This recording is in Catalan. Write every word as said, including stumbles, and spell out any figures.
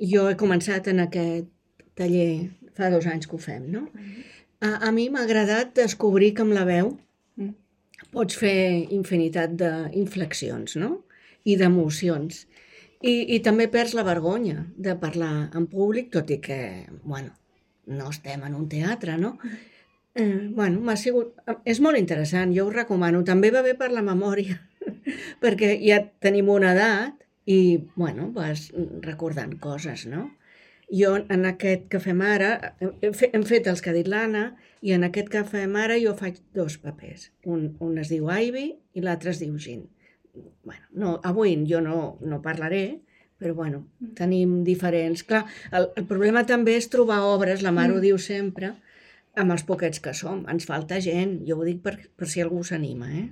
Jo he començat en aquest taller, fa dos anys que ho fem, no? A, a mi m'ha agradat descobrir que amb la veu Mm. pots fer infinitat d'inflexions, no? I d'emocions. I, I també perds la vergonya de parlar en públic, tot i que, bueno, no estem en un teatre, no? Eh, bueno, m'ha sigut... És molt interessant, jo ho recomano. També va bé per la memòria, perquè ja tenim una edat i, bueno, vas recordant coses, no? Jo en aquest que fem ara, hem fe- hem fet els que ha dit l'Anna, i en aquest que fem ara jo faig dos papers. Un, un es diu Ivy i l'altre es diu Jean. Bueno, no, avui jo no, no parlaré, però bueno, tenim diferents... Clar, el, el problema també és trobar obres, la Mar ho Mm. diu sempre, amb els poquets que som. Ens falta gent, jo ho dic per, per si algú s'anima, eh?